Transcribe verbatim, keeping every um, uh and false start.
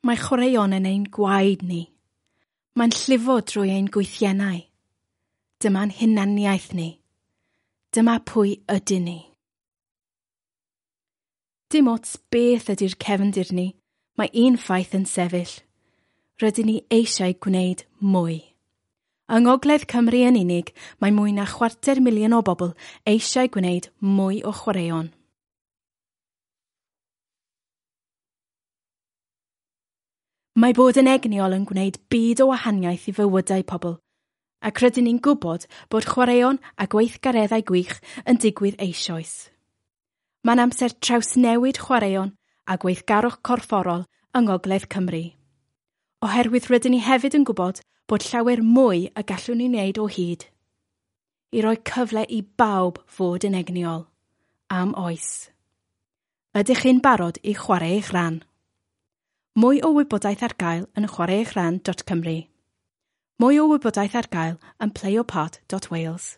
Mae chwaraeon yn ein gwaed ni. Mae'n llifo drwy ein gwythiennau. Dyma'n hunaniaeth ni. Dyma pwy ydyn ni. Dim ots beth ydy'r cefndir ni, mae un ffaith yn sefyll. Rydyn ni eisiau gwneud mwy. Yng Ngogledd Cymru yn unig, mae mwy na chwarter miliwn o bobl eisiau gwneud mwy o chwaraeon. Mae bod yn egnïol yn gwneud byd o wahaniaeth i fywydau pobl, ac rydyn ni'n gwybod bod chwaraeon a gweithgareddau gwych yn digwydd eisoes. Mae'n amser trawsnewid chwaraeon a gweithgarwch corfforol yng Ngogledd Cymru. Oherwydd rydyn ni hefyd yn gwybod bod llawer mwy y gallwn ni wneud o hyd. I roi cyfle i bawb fod yn egnïol. Am oes. Ydych chi'n barod i chwarae eich rhan? Mwy o wybodaeth ar gael yn chwarae eich rhan dot Cymru. Mwy o wybodaeth ar gael yn play your part dot Wales.